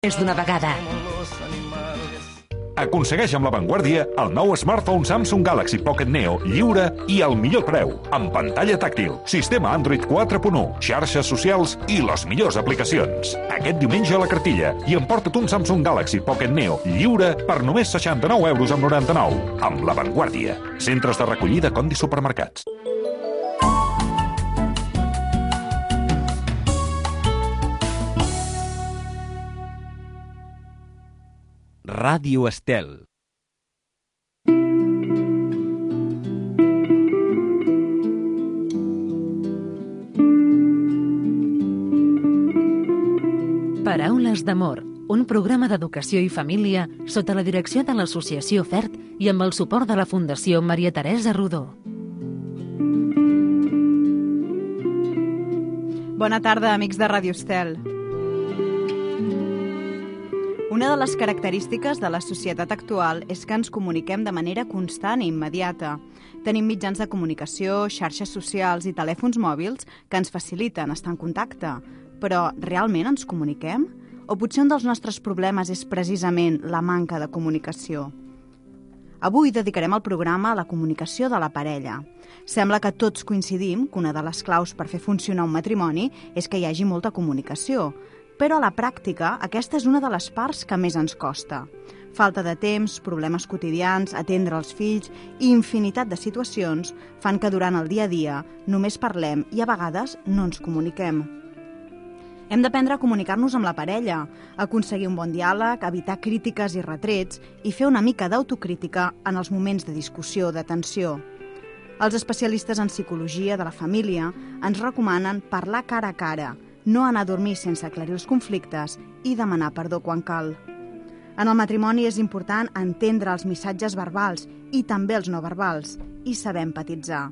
més d'una vegada. Aconsegueix amb La Vanguardia el nou smartphone Samsung Galaxy Pocket Neo lliure i al millor preu, amb pantalla tàctil, sistema Android 4.1, xarxes socials i les millors aplicacions. Aquest diumenge a la cartilla i emporta't un Samsung Galaxy Pocket Neo lliure per només 69,99 €, amb La Vanguardia. Centres de recollida Condi Supermercats. Ràdio Estel. Paraules d'amor, un programa d'educació i família sota la direcció de l'Associació FERT i amb el suport de la Fundació Maria Teresa Rodó. Bona tarda, amics de Ràdio Estel. Una de les característiques de la societat actual és que ens comuniquem de manera constant i immediata. Tenim mitjans de comunicació, xarxes socials i telèfons mòbils que ens faciliten estar en contacte. Però realment ens comuniquem? O potser un dels nostres problemes és precisament la manca de comunicació? Avui dedicarem el programa a la comunicació de la parella. Sembla que tots coincidim que una de les claus per fer funcionar un matrimoni és que hi hagi molta comunicació. Però a la pràctica, aquesta és una de les parts que més ens costa. Falta de temps, problemes quotidians, atendre els fills i infinitat de situacions fan que durant el dia a dia només parlem i a vegades no ens comuniquem. Hem d'aprendre a comunicar-nos amb la parella, aconseguir un bon diàleg, evitar crítiques i retrets i fer una mica d'autocrítica en els moments de discussió o de tensió. Els especialistes en psicologia de la família ens recomanen parlar cara a cara, no anar a dormir sense aclarir els conflictes i demanar perdó quan cal. En el matrimoni és important entendre els missatges verbals i també els no verbals i saber empatitzar.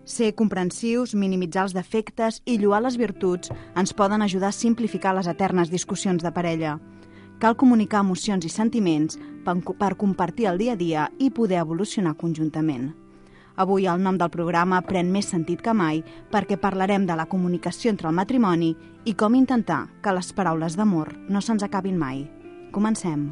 Ser comprensius, minimitzar els defectes i lloar les virtuts ens poden ajudar a simplificar les eternes discussions de parella. Cal comunicar emocions i sentiments per compartir el dia a dia i poder evolucionar conjuntament. Avui el nom del programa pren més sentit que mai perquè parlarem de la comunicació entre el matrimoni i com intentar que les paraules d'amor no se'ns acabin mai. Comencem.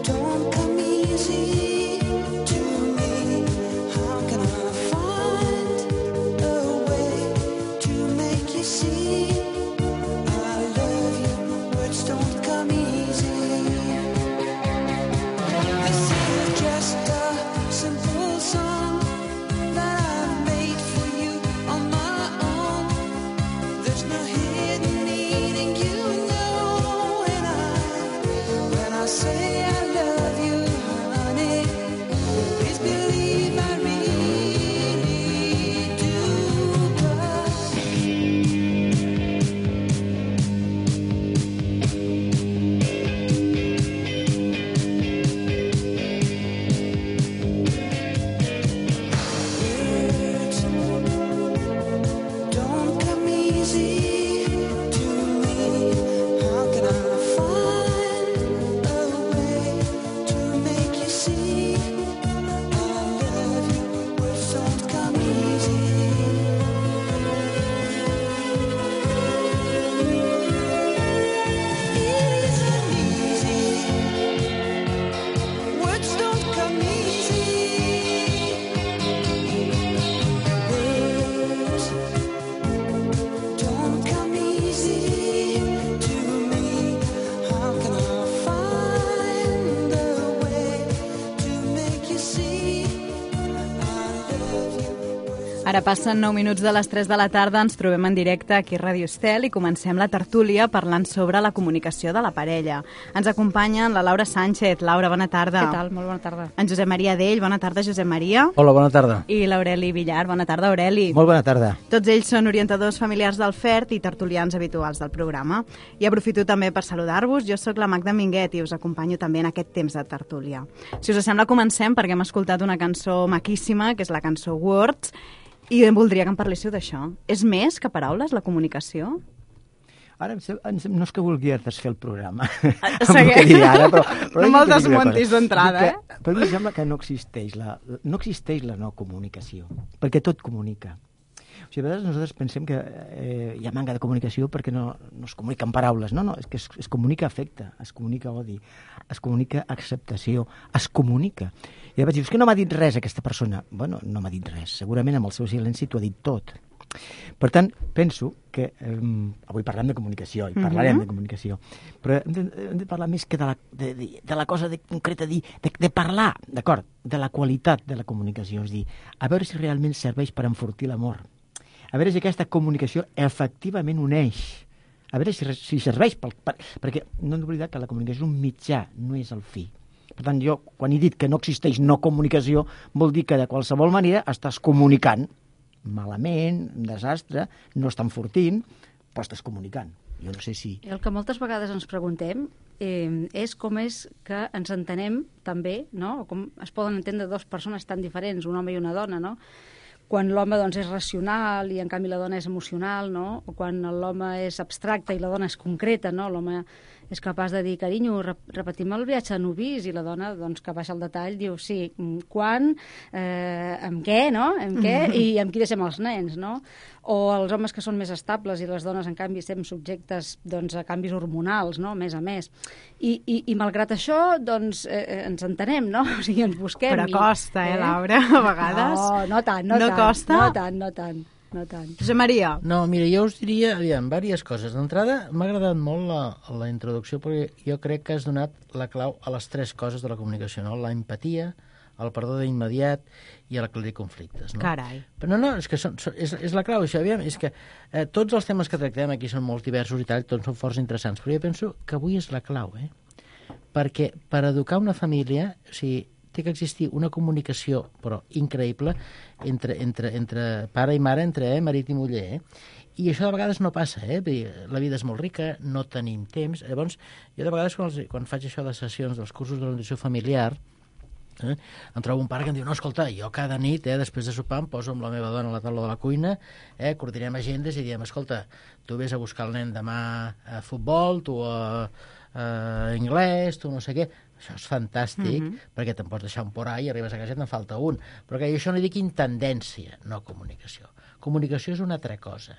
Don't come easy. Ara passen 9 minuts de les 3 de la tarda, ens trobem en directe aquí a Ràdio Estel i comencem la tertúlia parlant sobre la comunicació de la parella. Ens acompanyen la Laura Sánchez. Laura, bona tarda. Què tal? Molt bona tarda. En Josep Maria Dell. Bona tarda, Josep Maria. Hola, bona tarda. I l'Aureli Villar. Bona tarda, Aureli. Molt bona tarda. Tots ells són orientadors familiars del FERT i tertulians habituals del programa. I aprofito també per saludar-vos. Jo sóc la Magda Minguet i us acompanyo també en aquest temps de tertúlia. Si us sembla, comencem perquè hem escoltat una cançó maquíssima, que és la cançó Words, i voldria que em parléssiu d'això. És més que paraules, la comunicació? Ara no és que vulgui desfer el programa. Ara, però no me'l desmontis d'entrada, eh? Però em sembla que no existeix la no comunicació, perquè tot comunica. O sigui, a vegades nosaltres pensem que hi ha manca de comunicació perquè no es comuniquen paraules. No, és que es comunica afecte, es comunica odi, es comunica acceptació, es comunica. I llavors dius, que no m'ha dit res aquesta persona. Bueno, no m'ha dit res. Segurament amb el seu silenci t'ho ha dit tot. Per tant, penso que avui parlem de comunicació i parlarem de comunicació, però hem de parlar més que de la cosa concreta, de parlar, d'acord, de la qualitat de la comunicació. És dir, a veure si realment serveix per enfortir l'amor. A veure si aquesta comunicació efectivament uneix. A veure si serveix, perquè no hem d'oblidar que la comunicació és un mitjà, no és el fi. Per tant, jo, quan he dit que no existeix no comunicació, vol dir que de qualsevol manera estàs comunicant. Malament, un desastre, no estan enfortint, però estàs comunicant. Jo no sé si... El que moltes vegades ens preguntem és com és que ens entenem també, no? O com es poden entendre dues persones tan diferents, un home i una dona, no? Quan l'home doncs, és racional i en canvi la dona és emocional, no? O quan l'home és abstracte i la dona és concreta, no? L'home és capaç de dir, carinyo, repetim el viatge a Nubis, i la dona, doncs, que baixa al detall, diu, sí, quan, amb què, no? Amb què, i amb qui deixem els nens, no? O els homes que són més estables i les dones, en canvi, estem subjectes doncs, a canvis hormonals, no? Més a més. I malgrat això, doncs, ens entenem, no? O sigui, ens busquem. Però costa, Laura, a vegades. No tant. No costa? No tant. Josep Maria. No, mira, jo us diria, aviam, diverses coses. D'entrada, m'ha agradat molt la introducció, perquè jo crec que has donat la clau a les tres coses de la comunicació, no? La empatia, el perdó d'immediat i l'aclarir conflictes, no? Carai. Però no, és que és la clau, això, aviam, és que tots els temes que tractem aquí són molt diversos i tal, tots són forts interessants, però jo penso que avui és la clau, perquè per educar una família, o sigui, té que existir una comunicació, però increïble, entre pare i mare, entre marit i muller, I això de vegades no passa, La vida és molt rica, no tenim temps. Llavors, jo de vegades, quan faig això de sessions dels cursos d'orientació familiar, em trobo un pare que em diu, no, escolta, jo cada nit, després de sopar, em poso amb la meva dona a la taula de la cuina, coordinem agendes i diem, escolta, tu vés a buscar el nen demà a futbol, tu a anglès, tu no sé què. Això és fantàstic, perquè te'n pots deixar un porà i arribes a casa i te'n falta un. Però que això no dic intendència, no comunicació. Comunicació és una altra cosa,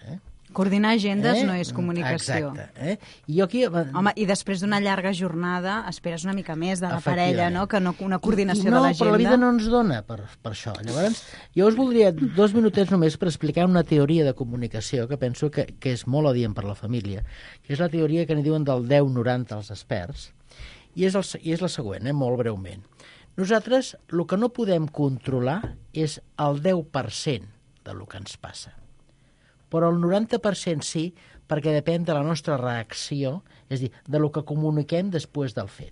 Coordinar agendes no és comunicació. Exacte. I jo aquí... Home, i després d'una llarga jornada esperes una mica més de la parella, no? Que no una coordinació de l'agenda. No, però la vida no ens dona per això. Llavors, jo us voldria 2 minutets només per explicar una teoria de comunicació que penso que és molt adient per la família, que és la teoria que n'hi diuen del 10-90 els experts, i és la següent, molt breument. Nosaltres, el que no podem controlar és el 10% del que ens passa. Però el 90% sí, perquè depèn de la nostra reacció, és a dir, de lo que comuniquem després del fet.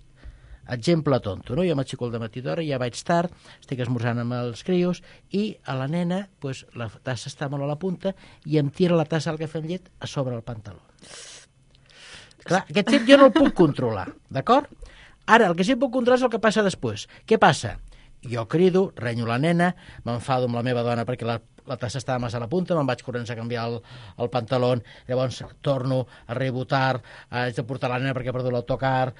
Exemple tonto, no? Jo m'aixeco al dematí d'hora, ja vaig tard, estic esmorzant amb els crios, i a la nena, pues, la tassa està molt a la punta, i em tira la tassa del cafè amb llet a sobre el pantaló. Clar, aquest fet jo no el puc controlar, d'acord? Ara, el que sí que puc controlar és el que passa després. Què passa? Jo crido, renyo la nena, m'enfado amb la meva dona perquè la tassa estava massa a la punta, me'n vaig corrents a canviar el pantaló, llavors torno, arribo tard, haig de portar la nena perquè he perdut l'autocar.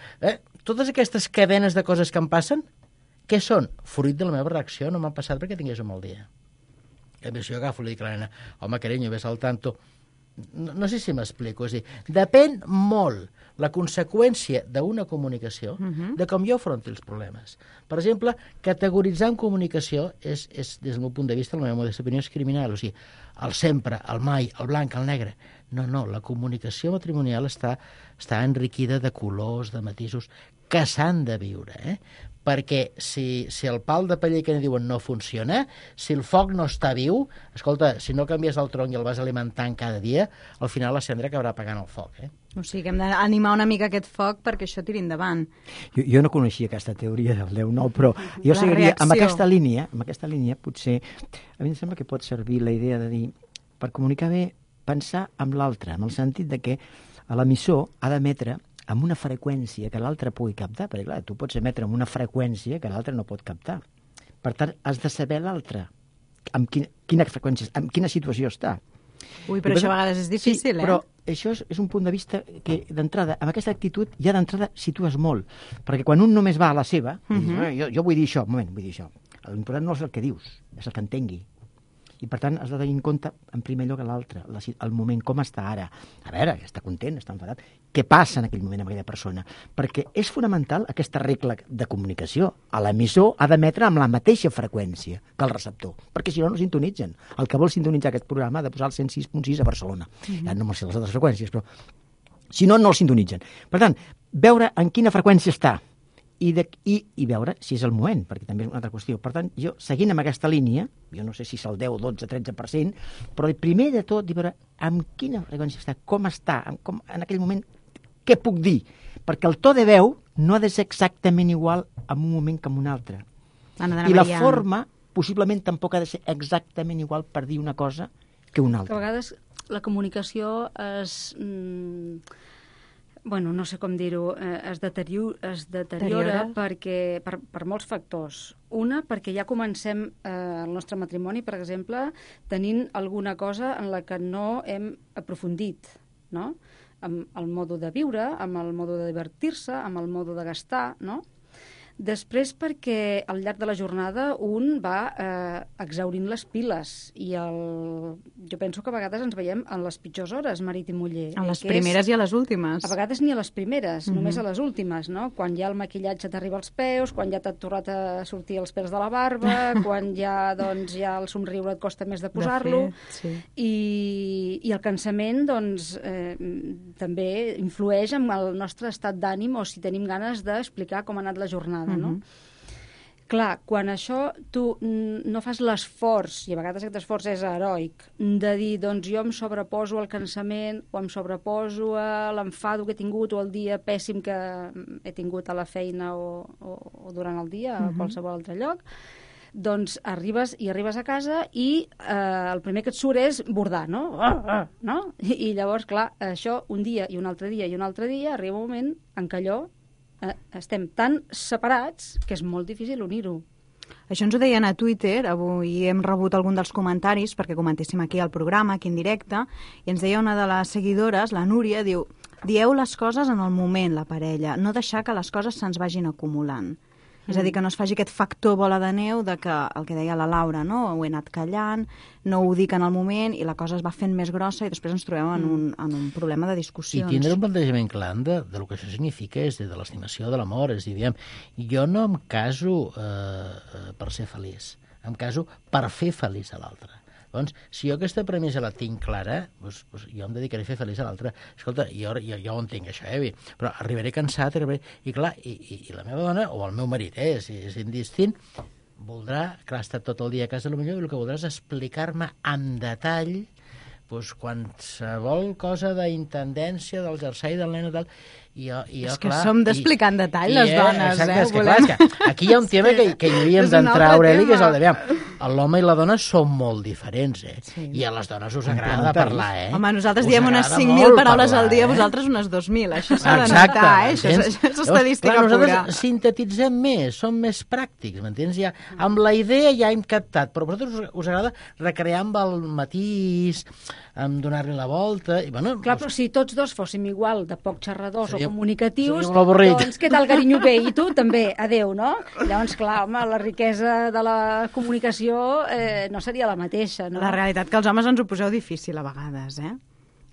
Totes aquestes cadenes de coses que em passen, què són? Fruit de la meva reacció, no m'han passat perquè tingués un mal dia. A més, jo agafo i li dic a la nena, home, carinyo, ves al tanto. No sé si m'explico, és a dir, depèn molt la conseqüència d'una comunicació de com jo afronti els problemes. Per exemple, categoritzar en comunicació és, des del meu punt de vista, la meva modesta opinió, és criminal. O sigui, el sempre, el mai, el blanc, el negre. No, la comunicació matrimonial està enriquida de colors, de matisos, que s'han de viure, perquè si el pal de paller que en diuen no funciona, si el foc no està viu, escolta, si no canvies el tronc i el vas alimentant cada dia, al final la cendra acabarà apagant el foc, O sigui que hem d'animar una mica aquest foc perquè això tiri endavant. Jo no coneixia aquesta teoria del 10-9, però jo seguiria amb aquesta línia, potser, a mi em sembla que pot servir la idea de dir, per comunicar bé, pensar amb l'altre, en el sentit de que l'emissor ha d'emetre amb una freqüència que l'altre pugui captar, perquè clar, tu pots emetre amb una freqüència que l'altre no pot captar. Per tant, has de saber l'altre, amb quina freqüència, en quina situació està. Ui, però això a vegades és difícil, però això és un punt de vista que, d'entrada, amb aquesta actitud, ja d'entrada situes molt, perquè quan un només va a la seva, jo vull dir això, vull dir això. L'important no és el que dius, és el que entengui. I, per tant, has de tenir en compte, en primer lloc, l'altre, el moment, com està ara. A veure, està content, està enfadat. Què passa en aquell moment amb aquella persona? Perquè és fonamental aquesta regla de comunicació. L'emissor ha d'emetre amb la mateixa freqüència que el receptor, perquè si no, no sintonitzen. El que vol sintonitzar aquest programa ha de posar el 106.6 a Barcelona. Ja no me'l sé les altres freqüències, però si no, no el sintonitzen. Per tant, veure en quina freqüència està i veure si és el moment, perquè també és una altra qüestió. Per tant, jo, seguint amb aquesta línia, jo no sé si és el 10, 12, 13%, però el primer de tot, veure amb quina freqüència està, com està, en aquell moment, què puc dir? Perquè el to de veu no ha de ser exactament igual en un moment que en un altre. I la forma, possiblement, tampoc ha de ser exactament igual per dir una cosa que una altra. Que a vegades la comunicació es... bueno, no sé com dir-ho, es deteriora perquè, per molts factors. Una, perquè ja comencem el nostre matrimoni, per exemple, tenint alguna cosa en la que no hem aprofundit, no? Amb el mode de viure, amb el mode de divertir-se, amb el mode de gastar, no? Després perquè al llarg de la jornada un va exhaurint les piles i jo penso que a vegades ens veiem en les pitjors hores, marit i muller. A les primeres i a les últimes. A vegades ni a les primeres, només a les últimes, no? Quan ja el maquillatge t'arriba als peus, quan ja t'ha tornat a sortir els pèls de la barba, quan ja el somriure et costa més de posar-lo. Sí. I el cansament, doncs, també influeix en el nostre estat d'ànim o si tenim ganes d'explicar com ha anat la jornada. No? Clar, quan això tu no fas l'esforç, i a vegades aquest esforç és heroic, de dir, doncs jo em sobreposo al cansament o em sobreposo a l'enfado que he tingut o el dia pèssim que he tingut a la feina o durant el dia a qualsevol altre lloc, doncs arribes a casa i el primer que et surt és bordar, no? No? I llavors, clar, això un dia i un altre dia i un altre dia arriba un moment en què allò estem tan separats que és molt difícil unir-ho. Això ens ho deien a Twitter, avui hem rebut algun dels comentaris perquè comentéssim aquí al programa, aquí en directe, i ens deia una de les seguidores, la Núria, diu: dieu les coses en el moment, la parella, no deixar que les coses se'ns vagin acumulant. És a dir, que no es faci aquest factor bola de neu de que, el que deia la Laura, no? Ho he anat callant, no ho dic en el moment i la cosa es va fent més grossa i després ens trobem en un problema de discussions. I tindre un plantejament clar de lo que això significa és de l'estimació de l'amor. És a dir, diguem, jo no em caso per ser feliç, em caso per fer feliç a l'altre. Doncs, si jo aquesta premissa la tinc clara, doncs jo em dedicaré a fer feliç a l'altre. Escolta, jo ho entenc, això, però arribaré cansat, i clar, i la meva dona, o el meu marit, és indistint, voldrà, clar, ha estat tot el dia a casa, potser el que voldrà és explicar-me en detall qualsevol cosa d'intendència, del jersei, del nen i tal, i jo, és que clar, som d'explicar en detall, les dones, exacte, és que, volem... clar, és que aquí hi ha un tema que hi hauríem d'entrar, Aureli, que és el de... L'home i la dona són molt diferents, Sí. I a les dones us agrada parlar, Home, nosaltres diem unes 5.000 paraules al dia, vosaltres unes 2.000, això s'ha de notar, això és estadística pura. Nosaltres sintetitzem més, som més pràctics, m'entens? Ja, amb la idea ja hem captat, però a vosaltres us agrada recrear amb el matís, amb donar-li la volta... I, bueno, clar, però si tots dos fóssim igual de poc xerradors o comunicatius, doncs què tal, carinyo, bé? I tu també, adeu, no? Llavors, clar, home, la riquesa de la comunicació no seria la mateixa, no? La realitat que els homes ens ho poseu difícil a vegades,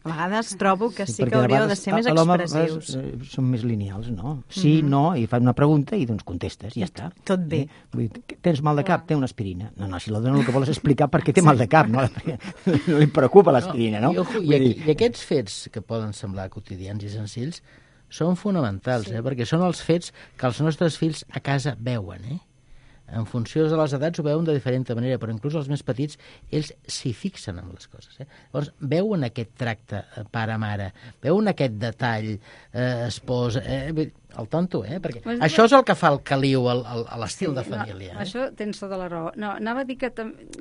A vegades trobo que sí que hauríeu de ser més expressius. Són més lineals, no? Sí, no, i fan una pregunta i doncs contestes, i ja està. Tot bé. Vull dir, tens mal de cap? Té una aspirina. No, si la dona el que vol és explicar per què té mal de cap, no? No li preocupa l'aspirina, no? I aquests fets que poden semblar quotidians i senzills són fonamentals, perquè són els fets que els nostres fills a casa veuen, En funció de les edats ho veuen de diferent manera, però inclús els més petits, ells s'hi fixen en les coses. Llavors, veuen aquest tracte pare-mare, veuen aquest detall esposa, el tonto, perquè això és el que fa el caliu a l'estil de família. Això tens tota la raó. No, anava a dir que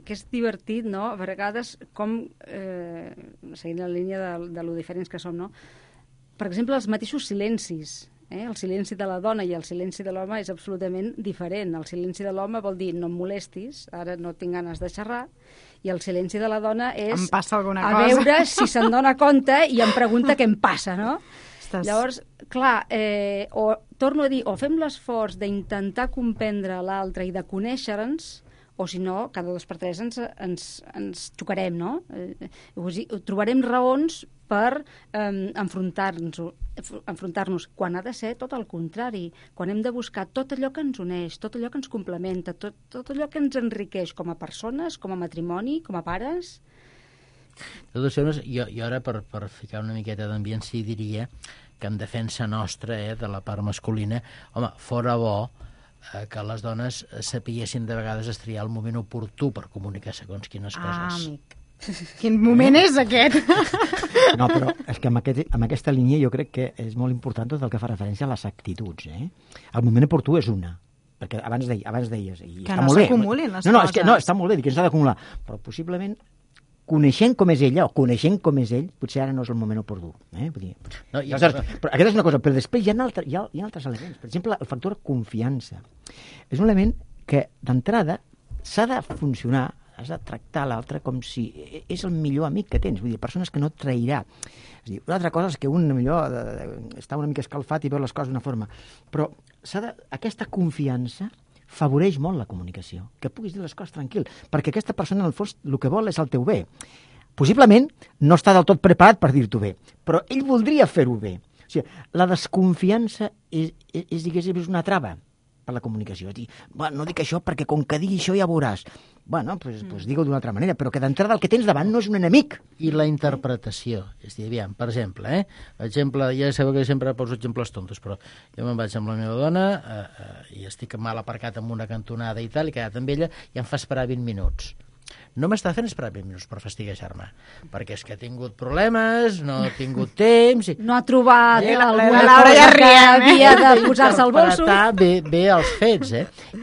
és divertit, no?, a vegades com, seguint la línia de lo diferents que som, no?, per exemple, els mateixos silencis. El silenci de la dona i el silenci de l'home és absolutament diferent. El silenci de l'home vol dir no em molestis, ara no tinc ganes de xerrar, i el silenci de la dona és em passa alguna a veure si se'n dona compte i em pregunta què em passa, no? Llavors, clar, torno a dir, o fem l'esforç d'intentar comprendre l'altre i de conèixer-nos, o si no, cada 2 per 3 ens xocarem, no? Trobarem raons per enfrontar-nos, quan ha de ser tot el contrari, quan hem de buscar tot allò que ens uneix, tot allò que ens complementa, tot allò que ens enriqueix com a persones, com a matrimoni, com a pares. Jo ara, per ficar una miqueta d'ambient, sí diria que en defensa nostra, de la part masculina, home, fora bo que les dones sapiguessin de vegades estriar el moment oportú per comunicar segons quines coses. Amic. Quin moment és aquest? No, però és que amb aquesta línia jo crec que és molt important tot el que fa referència a les actituds. El moment oportú és una, perquè abans deies... I que no s'acumulin les coses. No, és que no, està molt bé, que s'ha d'acumular, però possiblement coneixent com és ella o coneixent com és ell, potser ara no és el moment oportú. Vull dir, però aquesta és una cosa, però després hi ha altres elements. Per exemple, el factor confiança. És un element que, d'entrada, s'ha de funcionar, has de tractar l'altre com si és el millor amic que tens. Vull dir, persones que no et trairà. És a dir, una altra cosa és que un millor està una mica escalfat i veu les coses d'una forma. Però aquesta confiança favoreix molt la comunicació, que puguis dir les coses tranquil, perquè aquesta persona, en el fons, el que vol és el teu bé. Possiblement no està del tot preparat per dir-t'ho bé, però ell voldria fer-ho bé. O sigui, la desconfiança diguéssim, és una trava per la comunicació. És dir, no dic això perquè com que digui això ja veuràs. Bueno, doncs digue-ho d'una altra manera, però que d'entrada el que tens davant no és un enemic. I la interpretació. És a dir, aviam, per exemple, ja sabeu que sempre poso exemples tontos, però jo me'n vaig amb la meva dona i estic mal aparcat en una cantonada i tal, i he quedat amb ella i em fa esperar 20 minuts. No m'està fent esperar 20 minuts per fastiguejar-me, perquè és que ha tingut problemes, no ha tingut temps... No ha trobat alguna cosa que havia de posar-se al bolso. Bé els fets,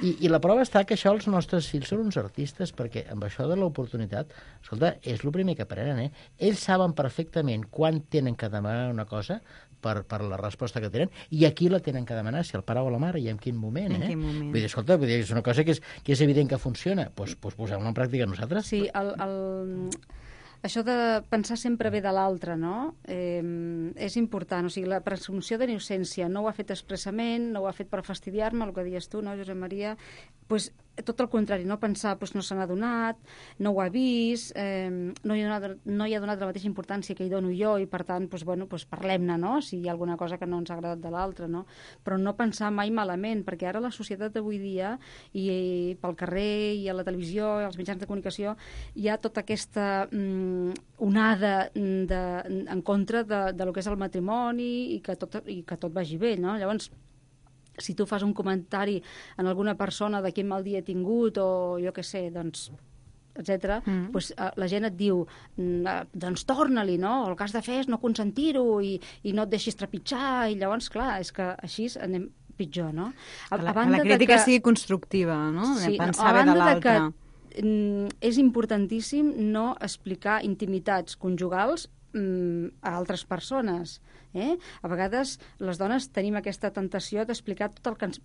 I la prova està que això els nostres fills són uns artistes, perquè amb això de l'oportunitat, escolta, és el primer que aprenen, Ells saben perfectament quan tenen que demanar una cosa per la resposta que tenen, i aquí la tenen que demanar, si el pare o la mare, i en quin moment, En quin moment. Vull dir, escolta, és una cosa que és evident que funciona, doncs posem-la en pràctica nosaltres. Sí, això de pensar sempre bé de l'altre, no? És important. O sigui, la presumpció d'innocència no ho ha fet expressament, no ho ha fet per fastidiar-me, el que deies tu, no, Josep Maria? Doncs tot el contrari, no pensar, no se n'ha donat, no ho ha vist, no hi ha donat la mateixa importància que hi dono jo, i per tant, parlem-ne, no? Si hi ha alguna cosa que no ens ha agradat de l'altre, no? Però no pensar mai malament, perquè ara la societat d'avui dia, i pel carrer, i a la televisió, i als mitjans de comunicació, hi ha tota aquesta onada en contra de lo que és el matrimoni i que tot vagi bé, no? Llavors, si tu fas un comentari en alguna persona de quin mal dia he tingut o jo què sé, doncs, etc., doncs la gent et diu doncs torna-li, no? El que has de fer és no consentir-ho i no et deixis trepitjar, i llavors, clar, és que així anem pitjor, no? La crítica sigui constructiva, no? Sí, pensar bé de l'altre. És importantíssim no explicar intimitats conjugals a altres persones. A vegades les dones tenim aquesta tentació d'explicar tot el que ens...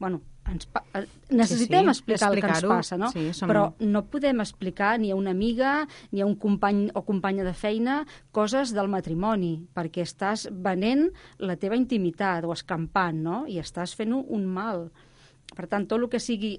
necessitem explicar el que ens passa, no? Sí, però no podem explicar ni a una amiga ni a un company o companya de feina coses del matrimoni, perquè estàs venent la teva intimitat o escampant, no? I estàs fent un mal. Per tant, tot el que sigui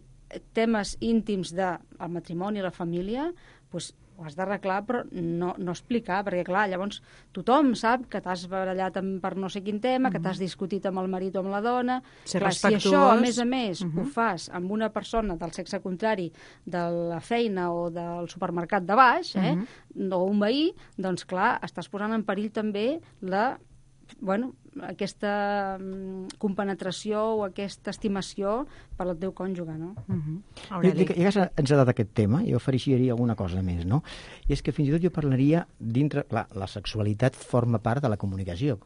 temes íntims del matrimoni i la família, doncs ho has d'arreglar, però no explicar, perquè, clar, llavors tothom sap que t'has barallat per no sé quin tema, que t'has discutit amb el marit o amb la dona. Clar, si això, a més, ho fas amb una persona del sexe contrari de la feina o del supermercat de baix, o un veí, doncs, clar, estàs posant en perill també la aquesta compenetració o aquesta estimació per al teu cònjuge, no? Ja que has encetat aquest tema, jo afegiria alguna cosa més, no? I és que fins i tot jo parlaria dintre... Clar, la sexualitat forma part de la comunicació.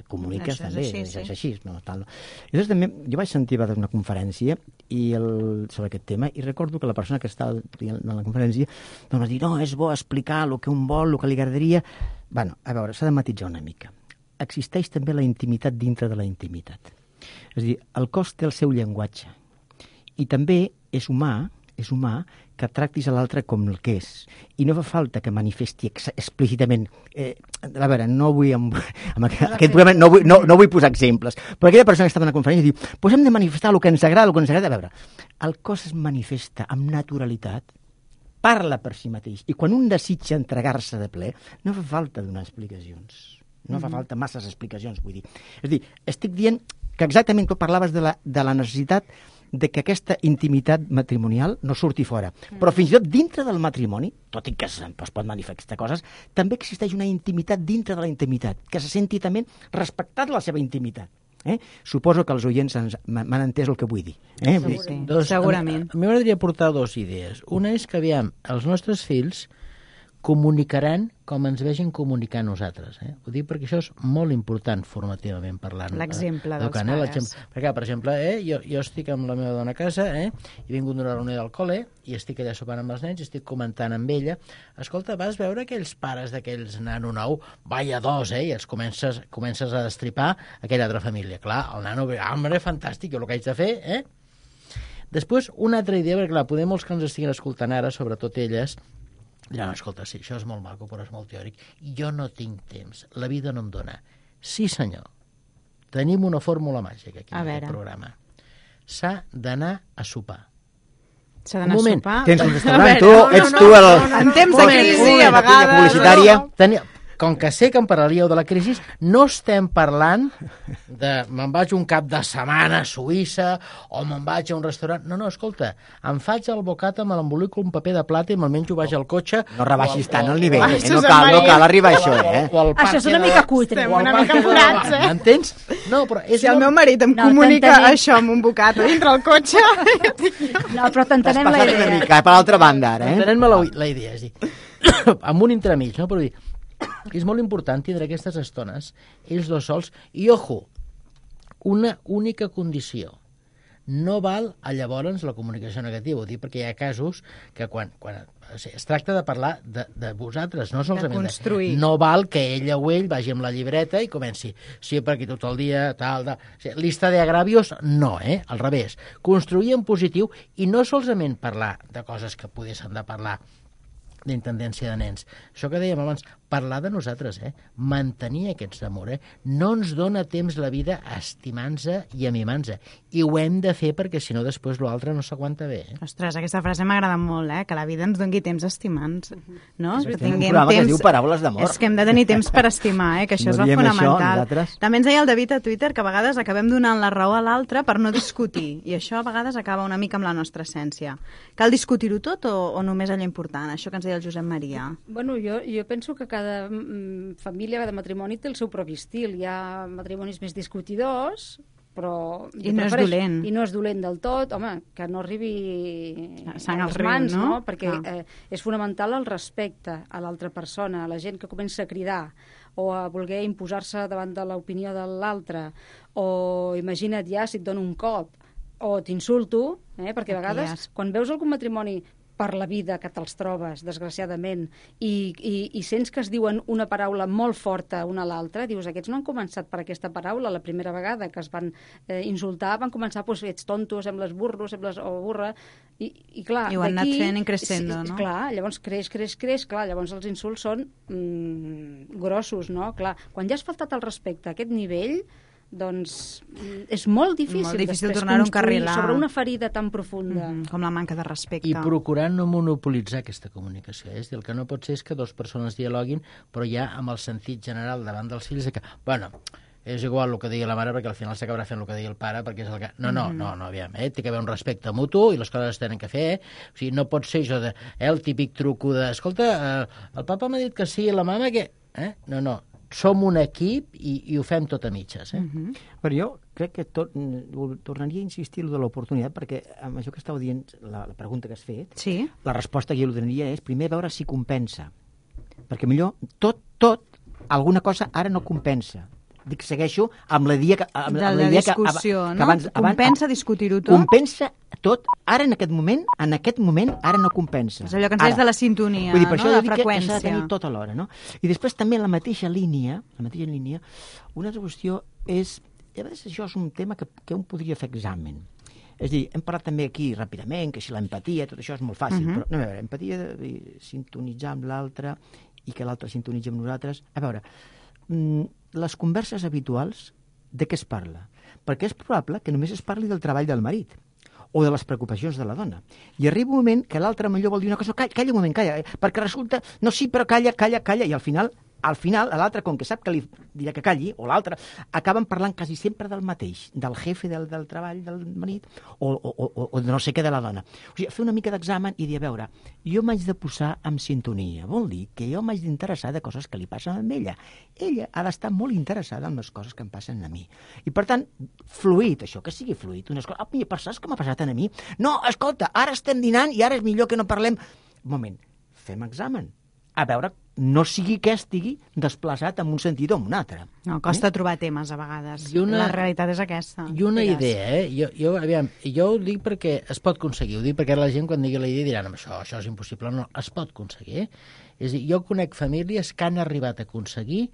Comuniques també, és així, no? Tal, no? I llavors també, jo vaig sentir a una conferència sobre aquest tema i recordo que la persona que estava en la conferència doncs va dir, no, és bo explicar el que un vol, el que li agradaria... Bueno, a veure, s'ha de matisar una mica. Existeix també la intimitat dintre de la intimitat. És a dir, el cos té el seu llenguatge. I també és humà que tractis a l'altre com el que és. I no fa falta que manifesti explícitament... a veure, no vull... Amb aquest programa no vull posar exemples, però aquella persona que estava en la conferència diu hem de manifestar el que ens agrada, el que ens agrada. A veure, el cos es manifesta amb naturalitat, parla per si mateix, i quan un desitja entregar-se de ple, no fa falta donar explicacions. No fa falta masses explicacions, vull dir. És a dir, estic dient que exactament tu parlaves de la necessitat de que aquesta intimitat matrimonial no surti fora. Però fins i tot dintre del matrimoni, tot i que es pot manifestar coses, també existeix una intimitat dintre de la intimitat, que se senti també respectat la seva intimitat. Suposo que els oients m'han entès el que vull dir. Segurament. A mi m'agradaria portar dues idees. Una és que, aviam, els nostres fills comunicaran com ens vegin comunicar nosaltres. Ho dic perquè això és molt important formativament parlant. L'exemple dels pares. Perquè, per exemple, jo estic amb la meva dona a casa, he vingut d'una reunió del col·le i estic allà sopant amb els nens i estic comentant amb ella. Escolta, vas veure aquells pares d'aquells nano nou? Vaya dos, i els comences a destripar aquella altra família. Clar, el nano, home, fantàstic, jo el que haig de fer, Després, una altra idea, perquè clar, poder molts que ens estiguin escoltant ara, sobretot elles, diran, escolta, sí, això és molt maco, però és molt teòric. Jo no tinc temps, la vida no em dona. Sí, senyor, tenim una fórmula màgica aquí en aquest programa. S'ha d'anar a sopar. S'ha d'anar a sopar? Tens un restaurant, tu ets tu el... En temps de crisi, a vegades... publicitària... Com que sé que em parlaríeu de la crisi, no estem parlant de me'n vaig un cap de setmana a Suïssa o me'n vaig a un restaurant. No, escolta, em faig el bocata, me l'embolico un paper de plata i me'l menjo, vaig al cotxe... No rebaixis tant el nivell, no cal arribar a això, Això és una mica cutre. Estem una mica forats, M'entens? No, però és si el meu marit em comunica això amb un bocata dintre el cotxe... No, però t'entenem la idea. T'has passat una mica, per l'altra banda, ara, Entenem-me la idea, és dir, amb un entremig, no? Però dir, és molt important tindre aquestes estones, ells dos sols, i ojo, una única condició, no val llavors la comunicació negativa, ho dic perquè hi ha casos que quan es tracta de parlar de vosaltres, no solament de construir. No val que ella o ell vagi amb la llibreta i comenci, sí, per aquí tot el dia, tal. Lista de agravios, no, al revés. Construir en positiu i no solament parlar de coses que poguessin de parlar d'intendència de nens. Això que dèiem abans, parlar de nosaltres, mantenir aquests d'amor. No ens dona temps la vida estimant-se i amimant-se. I ho hem de fer perquè, si no, després l'altre no s'aguanta bé. Ostres, aquesta frase m'agrada molt, que la vida ens doni temps estimant-nos. No? És un programa que diu paraules d'amor. És que hem de tenir temps per estimar, que això és fonamental. També ens deia el David a Twitter que a vegades acabem donant la raó a l'altre per no discutir. I això a vegades acaba una mica amb la nostra essència. Cal discutir-ho tot o només allò important? Això que ens deia el Josep Maria. Bueno, jo penso que cada família, cada matrimoni té el seu propi estil. Hi ha matrimonis més discutidors, però... I no és dolent. I no és dolent del tot. Home, que no arribi sang als mans, riu, no? Perquè és fonamental el respecte a l'altra persona, a la gent que comença a cridar o a voler imposar-se davant de l'opinió de l'altre, o imagina't ja si et dono un cop o t'insulto, perquè a vegades quan veus algun matrimoni per la vida que te'ls trobes, desgraciadament, i sents que es diuen una paraula molt forta una a l'altra, dius, aquests no han començat per aquesta paraula la primera vegada que es van insultar, van començar, doncs, ets tonto, sembles burro, sembles burra, i clar... I ho han anat fent increscendo, no? Clar, llavors creix, clar, llavors els insults són grossos, no? Clar, quan ja has faltat el respecte a aquest nivell, doncs és molt difícil tornar-ho a encarrilar sobre una ferida tan profunda. Com la manca de respecte. I procurar no monopolitzar aquesta comunicació. És dir, el que no pot ser és que dues persones dialoguin, però ja amb el sentit general davant dels fills que, bueno, és igual el que digui la mare perquè al final s'acabarà fent el que digui el pare perquè és el que... No, aviam, té que haver un respecte mutu i les coses es tenen que fer, O sigui, no pot ser això de, el típic truco de, escolta, el papa m'ha dit que sí, la mama que... No, som un equip i ho fem tot a mitges. Però jo crec que tornaria a insistir en l'oportunitat, perquè amb això que estàu dient, la pregunta que has fet, Sí. la resposta que jo li donaria és primer veure si compensa. Perquè millor tot, alguna cosa ara no compensa. Dic, segueixo amb la idea que... De la discussió, no? Compensa discutir-ho tot? Compensa tot. Ara, en aquest moment, ara no compensa. És allò que ens deies de la sintonia, vull dir, per no? això De jo dic que freqüència. s'ha de tenir tot alhora, no? I després també en la mateixa línia, una altra qüestió és... A vegades això és un tema que un podria fer examen. És a dir, hem parlat també aquí ràpidament, que si l'empatia, tot això és molt fàcil, però no, a veure, empatia de sintonitzar amb l'altre i que l'altre sintonitzi amb nosaltres. A veure, les converses habituals, de què es parla? Perquè és probable que només es parli del treball del marit o de les preocupacions de la dona. I arriba un moment que l'altre millor vol dir una cosa, calla un moment, calla, perquè resulta, no, sí, però calla, i al final, l'altre, com que sap que li dirà que calli, o l'altre, acaben parlant quasi sempre del mateix, del jefe del treball del marit, o de no sé què de la dona. O sigui, fer una mica d'examen i dir, a veure, jo m'haig de posar en sintonia. Vol dir que jo m'haig d'interessar de coses que li passen a ella. Ella ha d'estar molt interessada en les coses que em passen a mi. I, per tant, fluid, això, que sigui fluid. Unes coses, però saps què m'ha passat a mi? No, escolta, ara estem dinant i ara és millor que no parlem. Un moment, fem examen. A veure, no sigui que estigui desplaçat en un sentit o en un altre. No, costa trobar temes a vegades. La realitat és aquesta. I una idea, jo ho dic perquè es pot aconseguir, ho dic perquè la gent quan digui la idea diran això és impossible, no, es pot aconseguir. És a dir, jo conec famílies que han arribat a aconseguir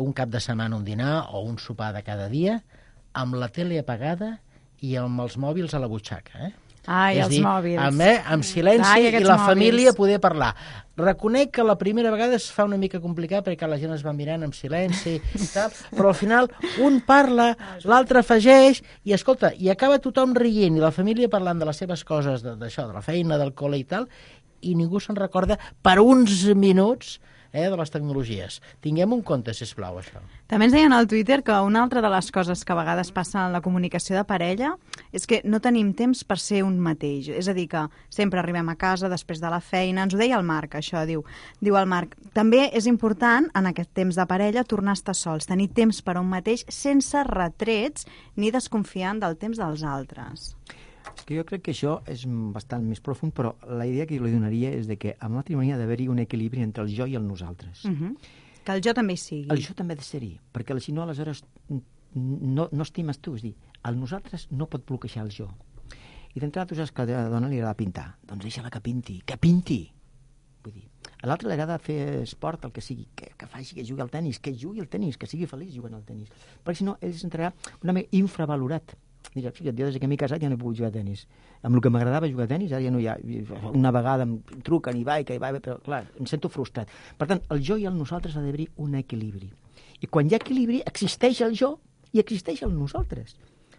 un cap de setmana, un dinar o un sopar de cada dia amb la tele apagada i amb els mòbils a la butxaca, Ai, els mòbils. Amb silenci i la família poder parlar. Reconec que la primera vegada es fa una mica complicat perquè la gent es va mirant amb silenci i tal, però al final un parla, l'altre afegeix i escolta, i acaba tothom rient i la família parlant de les seves coses, d'això, de la feina, del col·le i tal, i ningú se'n recorda per uns minuts de les tecnologies. Tinguem un compte, sisplau, això. També ens deien al Twitter que una altra de les coses que a vegades passa en la comunicació de parella és que no tenim temps per ser un mateix. És a dir, que sempre arribem a casa després de la feina. Ens ho deia el Marc, això, diu el Marc. També és important, en aquest temps de parella, tornar a estar sols, tenir temps per a un mateix sense retrets ni desconfiant del temps dels altres. Que jo crec que això és bastant més profund, però la idea que jo li donaria és de que al matrimoni ha d'haver-hi un equilibri entre el jo i el nosaltres. Que el jo també hi sigui. El jo també ha de ser-hi, perquè si no, aleshores no estimes tu. És dir, el nosaltres no pot bloquejar el jo. I d'entrada tu saps que a la dona li agrada pintar. Doncs deixa-la que pinti. Vull dir, a l'altre li agrada fer esport, el que sigui, que faci, que jugui al tenis, que sigui feliç jugant al tenis. Perquè si no, ell s'entrarà una mica infravalorat. Mira, fixa't, jo des que m'he casat ja no he pogut jugar a tenis. Amb el que m'agradava jugar a tenis, ara ja no hi ha. Una vegada em truquen i vaig, però clar, em sento frustrat. Per tant, el jo i el nosaltres ha d'haver-hi un equilibri. I quan hi ha equilibri, existeix el jo i existeix el nosaltres.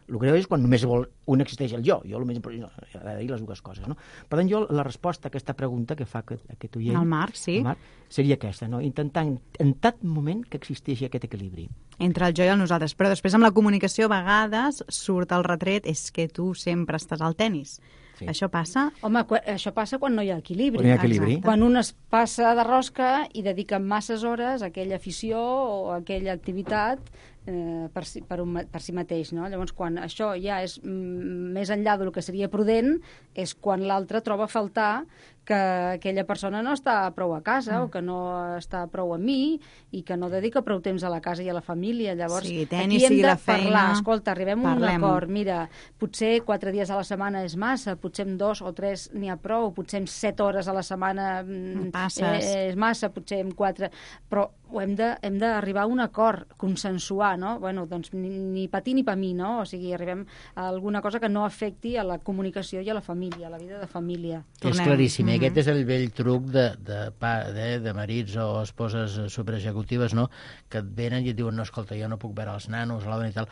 El greu és quan només un existeix el jo. Jo el més important ha d'haver-hi les dues coses, no? Per tant, jo la resposta a aquesta pregunta que fa aquest oient... El Marc, sí. El Marc, seria aquesta, no? Intentar en tot moment que existeixi aquest equilibri. Entre el jo i el nosaltres. Però després amb la comunicació a vegades surt el retret és que tu sempre estàs al tenis. Sí. Això passa? Home, això passa quan no hi ha equilibri. Quan hi ha equilibri. Quan un es passa de rosca i dedica masses hores a aquella afició o a aquella activitat per si mateix, no? Llavors, quan això ja és més enllà del que seria prudent, és quan l'altre troba a faltar que aquella persona no està prou a casa o que no està prou a mi i que no dedica prou temps a la casa i a la família. Llavors, sí, tenis, aquí hem de parlar. Feina, escolta, arribem a un acord. Mira, potser 4 dies a la setmana és massa, potser amb 2 o 3 n'hi ha prou, potser amb 7 hores a la setmana és massa, potser amb 4... Però hem d'arribar a un acord, consensuar, no? Bueno, doncs ni per ti ni per mi, no? O sigui, arribem a alguna cosa que no afecti a la comunicació i a la família, a la vida de família. És claríssim, aquest és el vell truc de marits o esposes superexecutives, no? Que et venen i et diuen, no, escolta, jo no puc veure els nanos a la dona i tal,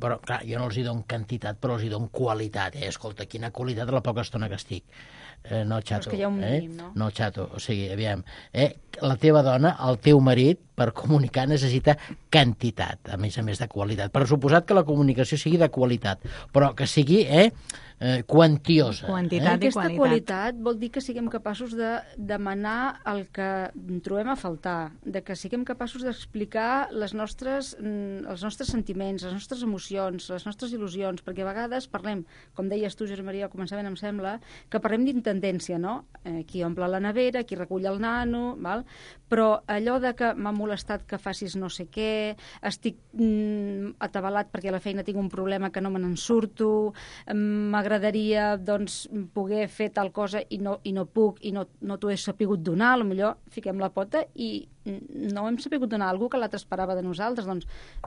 però clar, jo no els hi dono quantitat, però els hi dono qualitat, escolta, quina qualitat la poca estona que estic. No, xato. Però és que hi ha un mínim, no? No, xato, o sigui, aviam, la teva dona, el teu marit, per comunicar necessita quantitat, a més de qualitat. Per suposat que la comunicació sigui de qualitat, però que sigui quantiosa. Quantitat i Aquesta qualitat. qualitat vol dir que siguem capaços de demanar el que trobem a faltar, de que siguem capaços d'explicar els nostres sentiments, les nostres emocions, les nostres il·lusions, perquè a vegades parlem, com deies tu, Josep Maria, al començament em sembla, que parlem d'intendència, no? Qui omple la nevera, qui recull el nano, val? Però allò de que m'ha molestat que facis no sé què, estic atabalat perquè a la feina tinc un problema que no me n'en surto, m'agradaria doncs, poder fer tal cosa i no puc i no t'ho he sapigut donar, potser fiquem la pota i no hem sapigut donar a algú que l'altre esperava de nosaltres. Doncs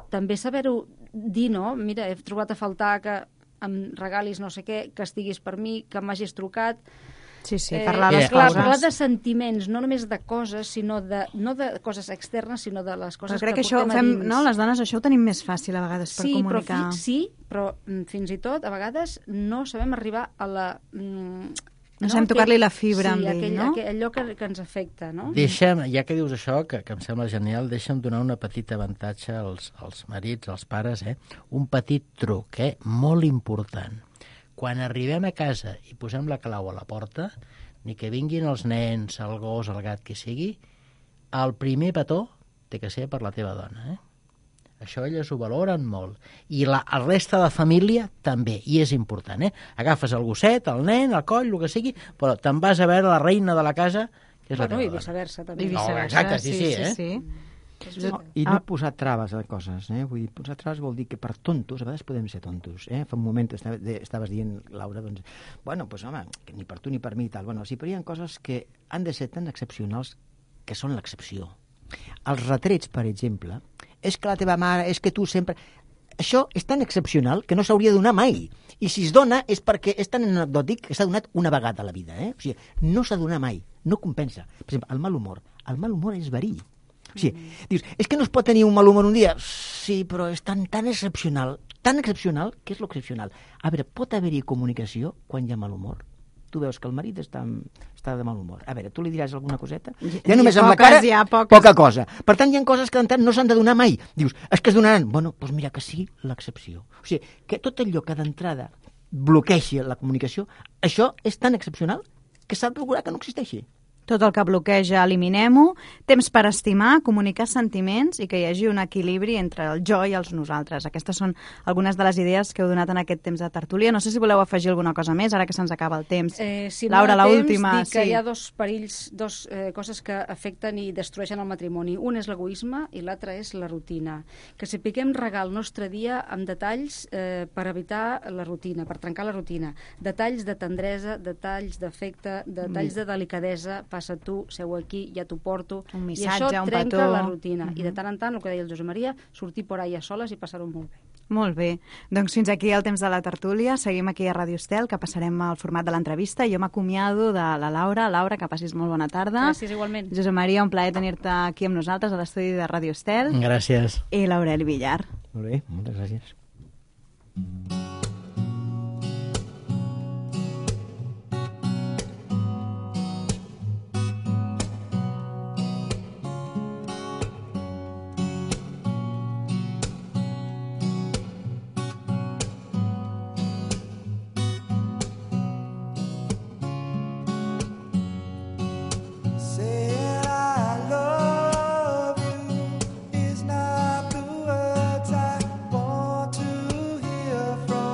també saber-ho dir, no? Mira, he trobat a faltar que em regalis no sé què, que estiguis per mi, que m'hagis trucat. Sí, parlar les clar, coses. parlar de sentiments, no només de coses, sinó no de coses externes, sinó de les coses crec que portem això a dins. no? Les dones això ho tenim més fàcil a vegades per comunicar. Però fins i tot a vegades no sabem arribar a la... No sabem tocar-li la fibra amb ell, no? Allò que ens afecta, no? Deixa'm, ja que dius això, que em sembla genial, deixa'm donar una petita avantatge als marits, als pares, un petit truc, molt important. Quan arribem a casa i posem la clau a la porta, ni que vinguin els nens, el gos, el gat, que sigui, el primer petó té que ser per la teva dona, Això elles ho valoren molt. I la resta de família també, i és important, Agafes el gosset, el nen, el coll, el que sigui, però te'n vas a veure la reina de la casa, que és la teva I dona. viceversa, també. Exacte, sí. I no posar traves a coses, Vull dir, posar traves vol dir que per tontos, a vegades podem ser tontos, Fa un moment estaves dient, Laura, doncs, bueno, pues home, que ni per tu ni per mi i tal. Bueno, sí, però hi ha coses que han de ser tan excepcionals que són l'excepció. Els retrets, per exemple, és que la teva mare, és que tu sempre... Això és tan excepcional que no s'hauria de donar mai. I si es dona és perquè és tan anecdòtic que s'ha donat una vegada a la vida, O sigui, no s'ha de donar mai, no compensa. Per exemple, el mal humor és verí. O sigui, dius, és que no es pot tenir un mal humor un dia? Sí, però és tan excepcional, que és l'excepcional. A veure, pot haver-hi comunicació quan hi ha mal humor? Tu veus que el marit està de mal humor. A veure, tu li diràs alguna coseta? Ja només amb la cara, poca cosa. Per tant, hi ha coses que d'entrada no s'han de donar mai. Dius, és que es donaran. Bueno, doncs mira, que sigui l'excepció. O sigui, que tot allò que d'entrada bloqueixi la comunicació, això és tan excepcional que s'ha de procurar que no existeixi. Tot el que bloqueja, eliminem-ho. Temps per estimar, comunicar sentiments i que hi hagi un equilibri entre el jo i els nosaltres. Aquestes són algunes de les idees que heu donat en aquest temps de tertúlia. No sé si voleu afegir alguna cosa més, ara que se'ns acaba el temps. Si Laura, no hi ha l'última. temps, dic que hi ha dos perills, coses que afecten i destrueixen el matrimoni. Un és l'egoisme i l'altre és la rutina. Que sapiguem regar el nostre dia amb detalls per evitar la rutina, per trencar la rutina. Detalls de tendresa, detalls d'afecte, detalls de delicadesa. Passa tu, seu aquí, ja t'ho porto. Un missatge, I això un trenca petó. la rutina. I de tant en tant, el que deia el Josep Maria, sortir por ahí a soles i passar-ho molt bé. Molt bé. Doncs fins aquí el temps de la tertúlia. Seguim aquí a Ràdio Estel, que passarem al format de l'entrevista. Jo m'acomiado de la Laura. Laura, que passis molt bona tarda. Gràcies, igualment. Josep Maria, un plaer tenir-te aquí amb nosaltres a l'estudi de Ràdio Estel. Gràcies. I l'Aureli Villar. Molt bé, moltes gràcies. Is not the words I want to hear from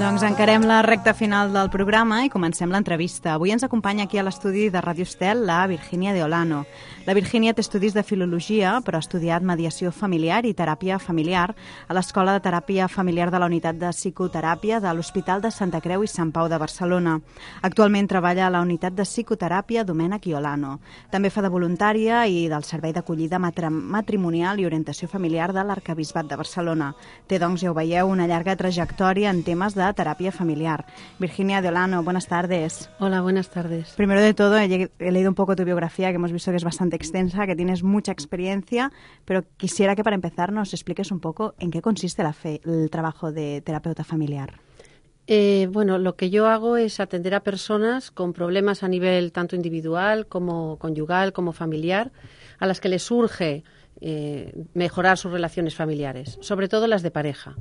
Doncs encarem la recta final del programa i comencem l'entrevista. Avui ens acompanya aquí a l'estudi de Ràdio Estel la Virginia de Olano. La Virginia té estudis de filologia, però ha estudiat mediació familiar i teràpia familiar a l'Escola de Teràpia Familiar de la Unitat de Psicoteràpia de l'Hospital de Santa Creu i Sant Pau de Barcelona. Actualment treballa a la Unitat de Psicoteràpia Domènec i Olano. També fa de voluntària i del Servei d'Acollida Matrimonial i Orientació Familiar de l'Arquebisbat de Barcelona. Té, doncs, ja ho veieu, una llarga trajectòria en temes de terapia familiar. Virginia de Olano, buenas tardes. Hola, buenas tardes. Primero de todo, he leído un poco tu biografía, que hemos visto que es bastante extensa, que tienes mucha experiencia, pero quisiera que para empezar nos expliques un poco en qué consiste el trabajo de terapeuta familiar. Bueno, lo que yo hago es atender a personas con problemas a nivel tanto individual como conyugal, como familiar, a las que les surge mejorar sus relaciones familiares, sobre todo las de pareja.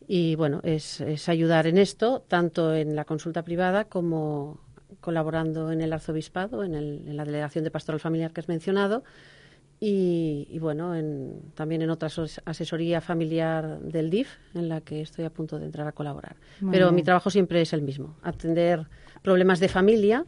Y bueno, es ayudar en esto, tanto en la consulta privada como colaborando en el arzobispado, en la delegación de pastoral familiar que has mencionado, y bueno, también en otra asesoría familiar del DIF, en la que estoy a punto de entrar a colaborar. Pero mi trabajo siempre es el mismo, atender problemas de familia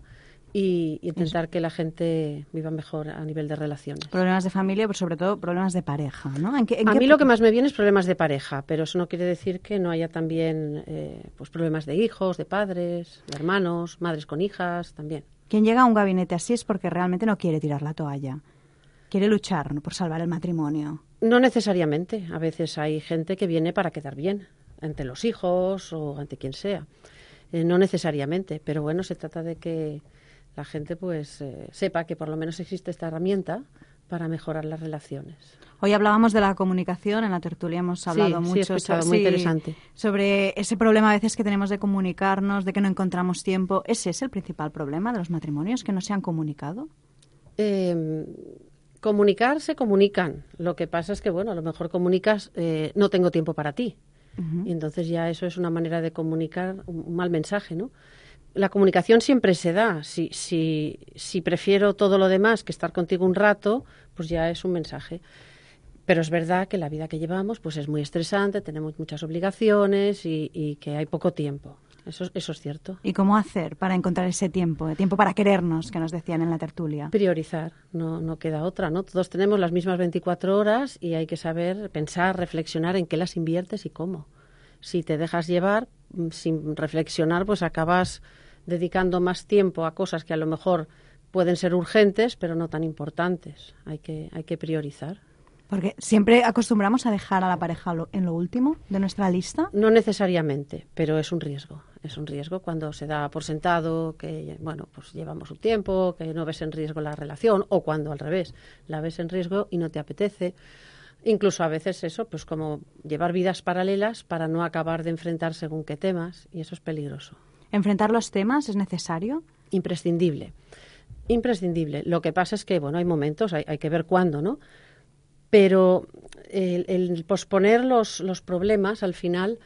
y intentar que la gente viva mejor a nivel de relaciones. Problemas de familia, pero sobre todo problemas de pareja, ¿no? A mí lo que más me viene es problemas de pareja, pero eso no quiere decir que no haya también pues problemas de hijos, de padres, de hermanos, madres con hijas, también. Quien llega a un gabinete así es porque realmente no quiere tirar la toalla, quiere luchar, ¿no?, por salvar el matrimonio. No necesariamente. A veces hay gente que viene para quedar bien ante los hijos o ante quien sea. No necesariamente, pero bueno, se trata de que la gente pues sepa que por lo menos existe esta herramienta para mejorar las relaciones. Hoy hablábamos de la comunicación, en la tertulia hemos hablado mucho muy interesante. Sobre ese problema a veces que tenemos de comunicarnos, de que no encontramos tiempo. ¿Ese es el principal problema de los matrimonios, que no se han comunicado? Comunicar se comunican. Lo que pasa es que, bueno, a lo mejor comunicas no tengo tiempo para ti. Y entonces ya eso es una manera de comunicar un mal mensaje, ¿no? La comunicación siempre se da. Si prefiero todo lo demás que estar contigo un rato, pues ya es un mensaje. Pero es verdad que la vida que llevamos pues es muy estresante, tenemos muchas obligaciones y que hay poco tiempo. Eso es cierto. ¿Y cómo hacer para encontrar ese tiempo para querernos, que nos decían en la tertulia? Priorizar, no queda otra, ¿no? Todos tenemos las mismas 24 horas y hay que saber pensar, reflexionar en qué las inviertes y cómo. Si te dejas llevar sin reflexionar, pues acabas dedicando más tiempo a cosas que a lo mejor pueden ser urgentes, pero no tan importantes. Hay que priorizar. Porque siempre acostumbramos a dejar a la pareja en lo último de nuestra lista. No necesariamente, pero es un riesgo. Es un riesgo cuando se da por sentado que, bueno, pues llevamos un tiempo, que no ves en riesgo la relación, o cuando al revés, la ves en riesgo y no te apetece. Incluso a veces eso, pues como llevar vidas paralelas para no acabar de enfrentar según qué temas, y eso es peligroso. ¿Enfrentar los temas es necesario? Imprescindible. Imprescindible. Lo que pasa es que, bueno, hay momentos, hay que ver cuándo, ¿no? Pero el posponer los problemas al final,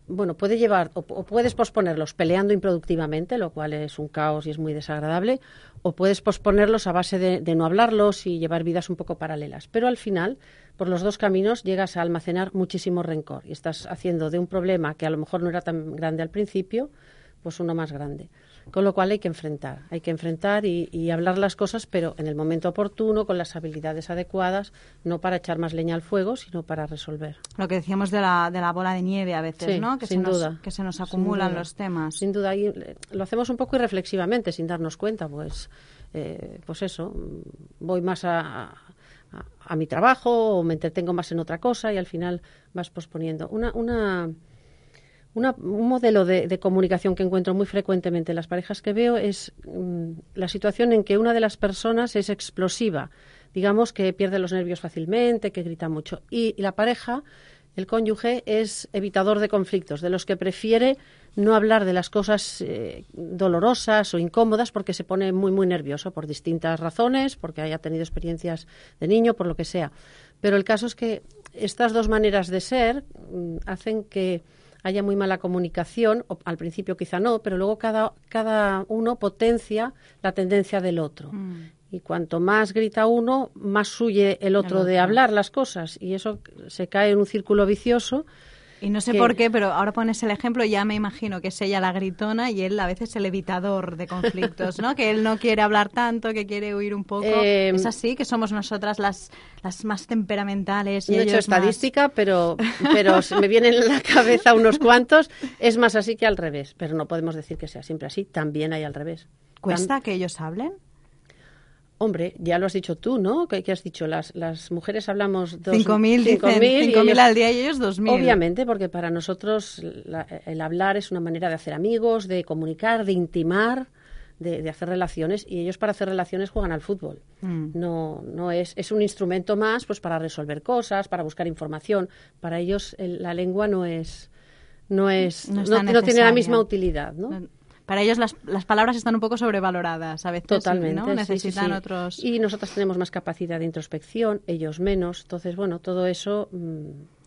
bueno, puede llevar, o puedes posponerlos peleando improductivamente, lo cual es un caos y es muy desagradable, o puedes posponerlos a base de no hablarlos y llevar vidas un poco paralelas. Pero al final, por los dos caminos, llegas a almacenar muchísimo rencor y estás haciendo de un problema que a lo mejor no era tan grande al principio, pues uno más grande. Con lo cual hay que enfrentar y hablar las cosas, pero en el momento oportuno, con las habilidades adecuadas, no para echar más leña al fuego, sino para resolver. Lo que decíamos de la bola de nieve a veces, sí, ¿no? Que se nos acumulan los temas. Sin duda, y lo hacemos un poco irreflexivamente, sin darnos cuenta, pues eso, voy más a mi trabajo o me entretengo más en otra cosa y al final vas posponiendo. Un modelo de comunicación que encuentro muy frecuentemente en las parejas que veo es la situación en que una de las personas es explosiva, digamos que pierde los nervios fácilmente, que grita mucho, y la pareja, el cónyuge, es evitador de conflictos, de los que prefiere no hablar de las cosas dolorosas o incómodas porque se pone muy, muy nervioso por distintas razones, porque haya tenido experiencias de niño, por lo que sea. Pero el caso es que estas dos maneras de ser hacen que haya muy mala comunicación, o al principio quizá no, pero luego cada uno potencia la tendencia del otro. Y cuanto más grita uno, más huye el otro de hablar las cosas. Y eso se cae en un círculo vicioso Y no sé por qué, pero ahora pones el ejemplo, ya me imagino que es ella la gritona y él a veces el evitador de conflictos, ¿no? Que él no quiere hablar tanto, que quiere huir un poco. ¿Es así? ¿Que somos nosotras las más temperamentales? Y no he hecho estadística, más... pero me vienen en la cabeza unos cuantos. Es más así que al revés, pero no podemos decir que sea siempre así. También hay al revés. ¿Cuesta que ellos hablen? Hombre, ya lo has dicho tú, ¿no? ¿Qué has dicho? Las mujeres hablamos 5.000 al día y ellos 2.000. Obviamente, porque para nosotros el hablar es una manera de hacer amigos, de comunicar, de intimar, de hacer relaciones, y ellos para hacer relaciones juegan al fútbol. No es un instrumento más pues para resolver cosas, para buscar información. Para ellos la lengua no tiene la misma utilidad, ¿no? Para ellos las palabras están un poco sobrevaloradas a veces. Totalmente, ¿no? Necesitan sí. otros... Y nosotras tenemos más capacidad de introspección, ellos menos. Entonces, bueno, todo eso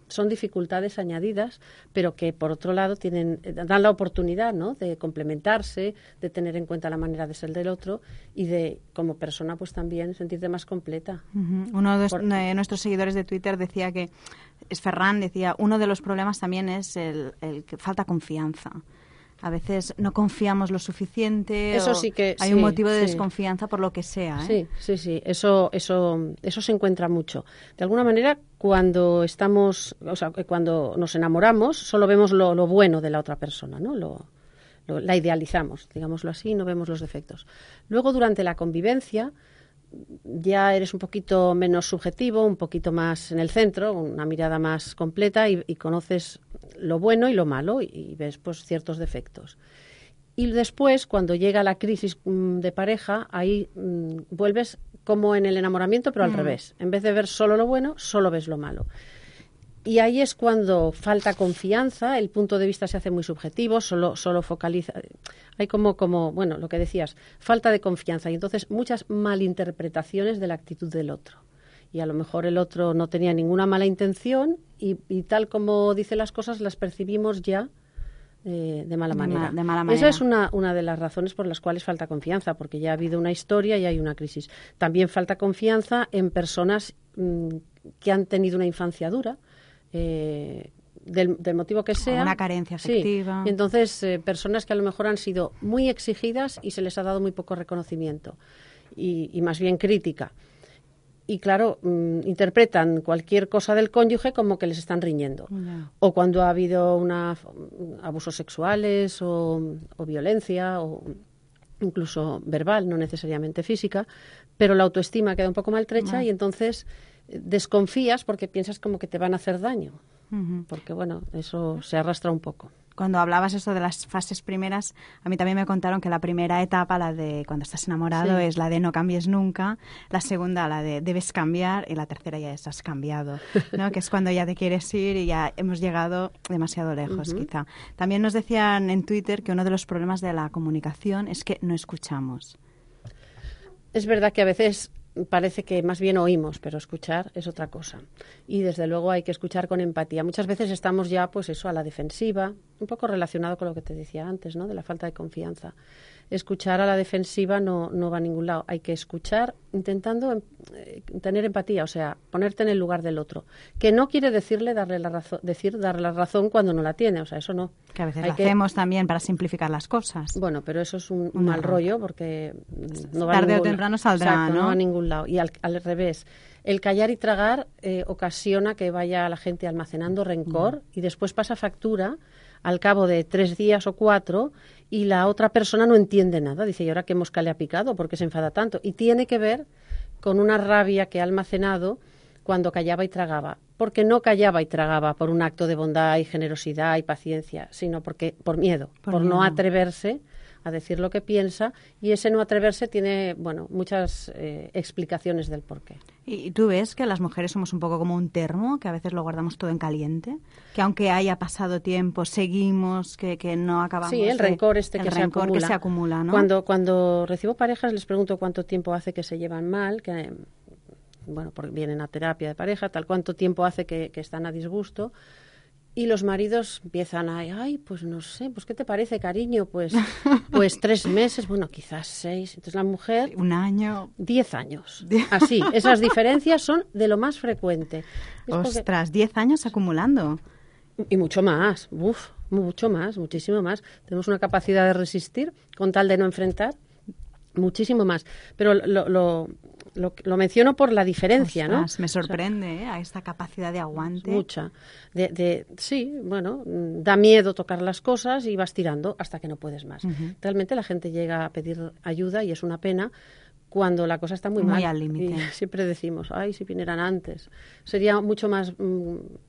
son dificultades añadidas, pero que, por otro lado, dan la oportunidad, ¿no?, de complementarse, de tener en cuenta la manera de ser del otro y de, como persona, pues también sentirte más completa. Uno de nuestros seguidores de Twitter decía que, Ferran decía, uno de los problemas también es el que falta confianza. A veces no confiamos lo suficiente. Eso sí que hay un motivo de desconfianza por lo que sea, ¿eh? Sí. Eso se encuentra mucho. De alguna manera, cuando nos enamoramos, solo vemos lo bueno de la otra persona, ¿no? La idealizamos, digámoslo así, no vemos los defectos. Luego, durante la convivencia, ya eres un poquito menos subjetivo, un poquito más en el centro, una mirada más completa y conoces lo bueno y lo malo y ves pues ciertos defectos. Y después, cuando llega la crisis de pareja, ahí vuelves como en el enamoramiento, pero al revés. En vez de ver solo lo bueno, solo ves lo malo. Y ahí es cuando falta confianza, el punto de vista se hace muy subjetivo, solo focaliza. Hay como bueno, lo que decías, falta de confianza y entonces muchas malinterpretaciones de la actitud del otro. Y a lo mejor el otro no tenía ninguna mala intención y tal como dice las cosas las percibimos ya de mala manera. De mala manera. Esa es una de las razones por las cuales falta confianza, porque ya ha habido una historia y hay una crisis. También falta confianza en personas que han tenido una infancia dura, del motivo que sea. Una carencia afectiva. Sí. Y entonces, personas que a lo mejor han sido muy exigidas y se les ha dado muy poco reconocimiento y más bien crítica. Y claro, interpretan cualquier cosa del cónyuge como que les están riñendo. O cuando ha habido abusos sexuales o violencia o incluso verbal, no necesariamente física, pero la autoestima queda un poco maltrecha y entonces desconfías porque piensas como que te van a hacer daño. Porque bueno, eso se arrastra un poco. Cuando hablabas eso de las fases primeras, a mí también me contaron que la primera etapa, la de cuando estás enamorado, es la de no cambies nunca, la segunda la de debes cambiar y la tercera ya es has cambiado, ¿no? Que es cuando ya te quieres ir y ya hemos llegado demasiado lejos, quizá. También nos decían en Twitter que uno de los problemas de la comunicación es que no escuchamos. Es verdad que a veces parece que más bien oímos, pero escuchar es otra cosa. Y desde luego hay que escuchar con empatía. Muchas veces estamos ya, pues eso, a la defensiva, un poco relacionado con lo que te decía antes, ¿no?, de la falta de confianza. Escuchar a la defensiva no va a ningún lado. Hay que escuchar intentando tener empatía, o sea, ponerte en el lugar del otro. Que no quiere decirle darle la razón cuando no la tiene, o sea, eso no. Que a veces lo hacemos también para simplificar las cosas. Bueno, pero eso es un mal rollo porque no va tarde a o temprano saldrá, exacto, ¿no? No va a ningún lado. Y al revés, el callar y tragar ocasiona que vaya la gente almacenando rencor y después pasa factura al cabo de 3 días o 4 y la otra persona no entiende nada. Dice, ¿y ahora qué mosca le ha picado? ¿Por qué se enfada tanto? Y tiene que ver con una rabia que ha almacenado cuando callaba y tragaba. Porque no callaba y tragaba por un acto de bondad y generosidad y paciencia, sino porque por miedo, por no atreverse a decir lo que piensa, y ese no atreverse tiene, bueno, muchas explicaciones del porqué. ¿Y tú ves que las mujeres somos un poco como un termo, que a veces lo guardamos todo en caliente? Que aunque haya pasado tiempo, seguimos, que no acabamos. Sí, el rencor que se acumula, ¿no? Cuando recibo parejas les pregunto cuánto tiempo hace que se llevan mal, que bueno, porque vienen a terapia de pareja, tal, cuánto tiempo hace que están a disgusto. Y los maridos empiezan ay, pues no sé, pues ¿qué te parece, cariño? Pues 3 meses, bueno, quizás 6. Entonces la mujer... 1 año. 10 años. Así, esas diferencias son de lo más frecuente. Ostras, 10 años acumulando. Y mucho más, mucho más, muchísimo más. Tenemos una capacidad de resistir con tal de no enfrentar, muchísimo más. Pero lo menciono por la diferencia, Ostras, ¿no? me sorprende, a esta capacidad de aguante. Mucha. Sí, bueno, da miedo tocar las cosas y vas tirando hasta que no puedes más. Realmente la gente llega a pedir ayuda y es una pena cuando la cosa está muy mal. al límite. Y siempre decimos, ay, si vinieran antes. Sería mucho más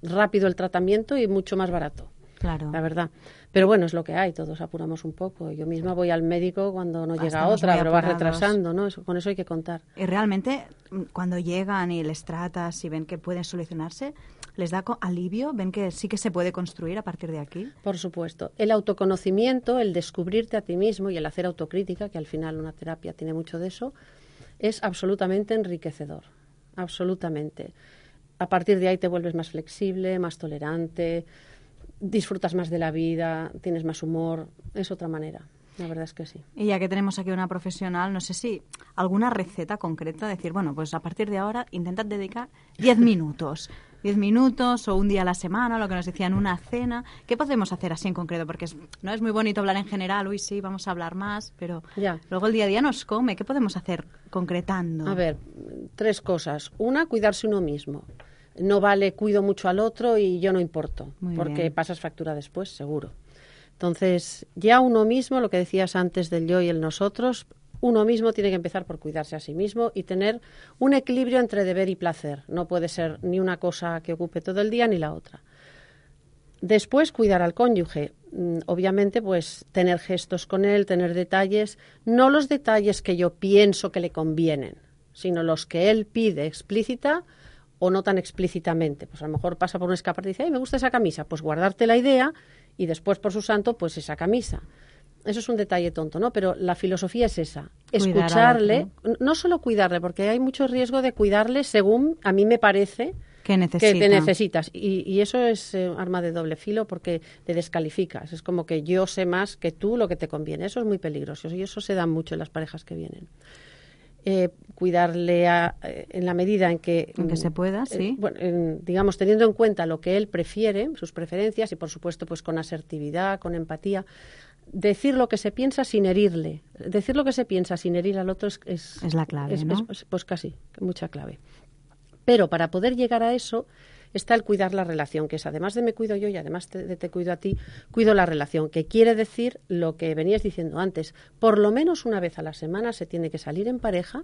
rápido el tratamiento y mucho más barato. Claro. La verdad. Pero bueno, es lo que hay, todos apuramos un poco. Yo misma voy al médico cuando no llega Estamos otra, muy pero va apurados. retrasando, ¿no? Con eso hay que contar. Y realmente, cuando llegan y les tratas y ven que pueden solucionarse, ¿les da alivio? ¿Ven que sí que se puede construir a partir de aquí? Por supuesto. El autoconocimiento, el descubrirte a ti mismo y el hacer autocrítica, que al final una terapia tiene mucho de eso, es absolutamente enriquecedor. Absolutamente. A partir de ahí te vuelves más flexible, más tolerante, disfrutas más de la vida, tienes más humor. Es otra manera. La verdad es que sí. Y ya que tenemos aquí una profesional, no sé si alguna receta concreta, decir, bueno, pues a partir de ahora intentad dedicar 10 minutos. 10 minutos o un día a la semana, lo que nos decían, una cena. ¿Qué podemos hacer así en concreto? Porque no es muy bonito hablar en general, uy, sí, vamos a hablar más, pero Ya. luego el día a día nos come. ¿Qué podemos hacer concretando? A ver, 3 cosas. Una, cuidarse uno mismo. No vale cuido mucho al otro y yo no importo, Muy porque bien. pasas factura después, seguro. Entonces, ya uno mismo, lo que decías antes del yo y el nosotros, uno mismo tiene que empezar por cuidarse a sí mismo y tener un equilibrio entre deber y placer. No puede ser ni una cosa que ocupe todo el día ni la otra. Después, cuidar al cónyuge. Obviamente, pues tener gestos con él, tener detalles, no los detalles que yo pienso que le convienen, sino los que él pide explícita o no tan explícitamente. Pues a lo mejor pasa por un escaparate y dice, ay, me gusta esa camisa, pues guardarte la idea y después, por su santo, pues esa camisa. Eso es un detalle tonto, ¿no? Pero la filosofía es esa, Cuidar al escucharle, otro. no solo cuidarle, porque hay mucho riesgo de cuidarle según a mí me parece ¿Qué necesita? que te necesitas. Y eso es arma de doble filo porque te descalificas. Es como que yo sé más que tú lo que te conviene. Eso es muy peligroso y eso se da mucho en las parejas que vienen. Cuidarle en la medida en que se pueda, sí. Digamos, teniendo en cuenta lo que él prefiere, sus preferencias y, por supuesto, pues con asertividad, con empatía. Decir lo que se piensa sin herirle. Decir lo que se piensa sin herir al otro es la clave, ¿no? Pues casi, mucha clave. Pero para poder llegar a eso está el cuidar la relación, que es además de me cuido yo y además de te cuido a ti, cuido la relación, que quiere decir lo que venías diciendo antes. Por lo menos una vez a la semana se tiene que salir en pareja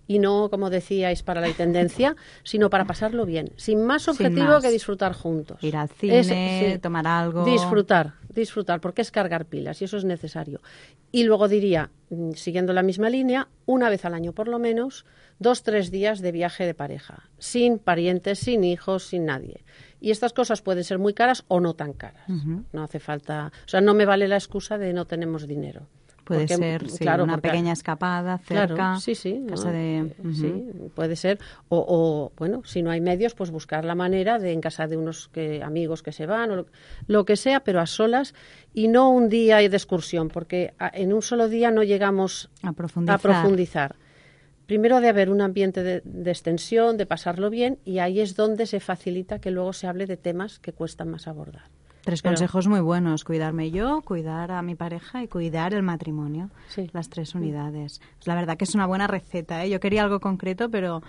y no, como decíais, para la intendencia, sino para pasarlo bien, sin más objetivo que disfrutar juntos. Ir al cine, tomar algo. Disfrutar, porque es cargar pilas y eso es necesario. Y luego diría, siguiendo la misma línea, una vez al año por lo menos, 2-3 días de viaje de pareja, sin parientes, sin hijos, sin nadie. Y estas cosas pueden ser muy caras o no tan caras. No hace falta, o sea, no me vale la excusa de no tenemos dinero. Puede Porque, ser, sí, claro, una porque, pequeña escapada cerca. Claro, sí, Casa de... sí, puede ser. O, bueno, si no hay medios, pues buscar la manera de en casa de unos amigos que se van, o lo que sea, pero a solas y no un día de excursión, porque en un solo día no llegamos a profundizar. Primero de haber un ambiente de extensión, de pasarlo bien, y ahí es donde se facilita que luego se hable de temas que cuestan más abordar. 3 consejos muy buenos: cuidarme yo, cuidar a mi pareja y cuidar el matrimonio. Sí. Las 3 unidades. Pues la verdad que es una buena receta, ¿eh? Yo quería algo concreto, pero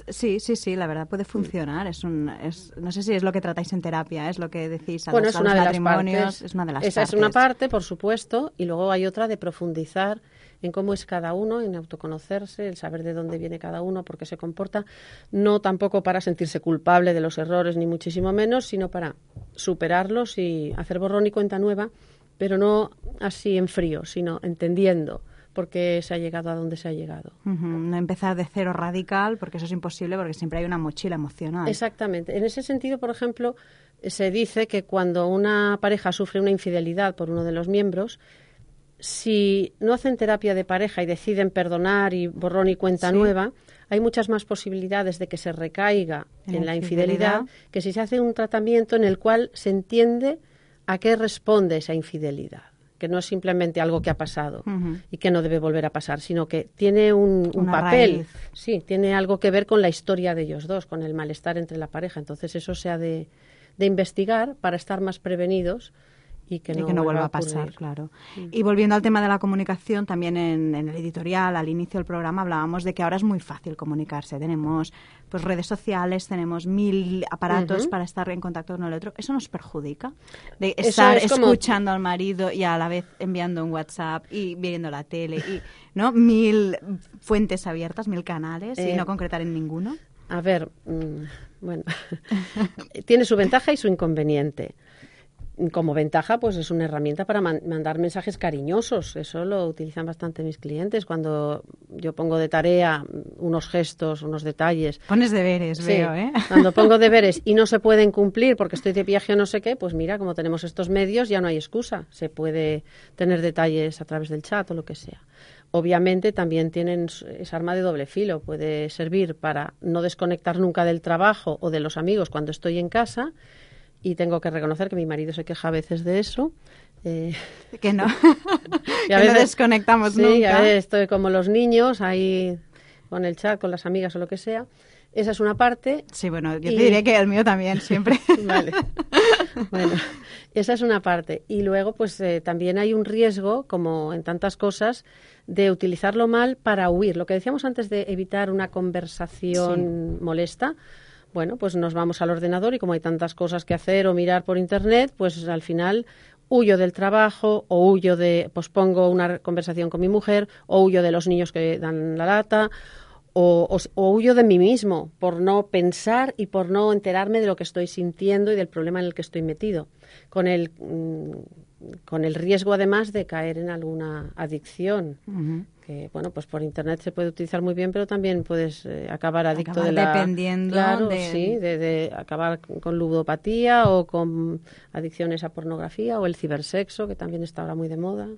sí, la verdad puede funcionar. No sé si es lo que tratáis en terapia, es lo que decís a los matrimonios. Es una de las partes. Esa es una parte, por supuesto, y luego hay otra de profundizar en cómo es cada uno, en autoconocerse, el saber de dónde viene cada uno, por qué se comporta, no tampoco para sentirse culpable de los errores, ni muchísimo menos, sino para superarlos y hacer borrón y cuenta nueva, pero no así en frío, sino entendiendo por qué se ha llegado a donde se ha llegado. No empezar de cero radical, porque eso es imposible, porque siempre hay una mochila emocional. Exactamente. En ese sentido, por ejemplo, se dice que cuando una pareja sufre una infidelidad por uno de los miembros, si no hacen terapia de pareja y deciden perdonar y borrón y cuenta nueva, hay muchas más posibilidades de que se recaiga en la infidelidad que si se hace un tratamiento en el cual se entiende a qué responde esa infidelidad, que no es simplemente algo que ha pasado y que no debe volver a pasar, sino que tiene un papel, raíz. Sí, tiene algo que ver con la historia de ellos dos, con el malestar entre la pareja. Entonces eso se ha de investigar para estar más prevenidos y que no vuelva a pasar, claro. Y volviendo al tema de la comunicación, también en el editorial, al inicio del programa, hablábamos de que ahora es muy fácil comunicarse. Tenemos pues redes sociales, tenemos 1000 aparatos para estar en contacto con el otro. ¿Eso nos perjudica? De estar escuchando al marido y a la vez enviando un WhatsApp y viendo la tele, y 1000 fuentes abiertas, 1000 canales y no concretar en ninguno. A ver, bueno, tiene su ventaja y su inconveniente. Como ventaja, pues es una herramienta para mandar mensajes cariñosos. Eso lo utilizan bastante mis clientes. Cuando yo pongo de tarea unos gestos, unos detalles. Pones deberes, veo, ¿eh? Cuando pongo deberes y no se pueden cumplir porque estoy de viaje o no sé qué, pues mira, como tenemos estos medios, ya no hay excusa. Se puede tener detalles a través del chat o lo que sea. Obviamente también tienen esa arma de doble filo. Puede servir para no desconectar nunca del trabajo o de los amigos cuando estoy en casa. Y tengo que reconocer que mi marido se queja a veces de eso. Que no, que no desconectamos nunca. Sí, a veces estoy como los niños, ahí con el chat, con las amigas o lo que sea. Esa es una parte. Sí, bueno, yo te diré que el mío también, siempre. Vale. Bueno, esa es una parte. Y luego, pues también hay un riesgo, como en tantas cosas, de utilizarlo mal para huir. Lo que decíamos antes de evitar una conversación molesta. Bueno, pues nos vamos al ordenador y como hay tantas cosas que hacer o mirar por internet, pues al final huyo del trabajo o pospongo una conversación con mi mujer o huyo de los niños que dan la lata o huyo de mí mismo por no pensar y por no enterarme de lo que estoy sintiendo y del problema en el que estoy metido, con el riesgo además de caer en alguna adicción. Que, bueno, pues por internet se puede utilizar muy bien, pero también puedes acabar adicto dependiendo de acabar con ludopatía o con adicciones a pornografía o el cibersexo, que también está ahora muy de moda.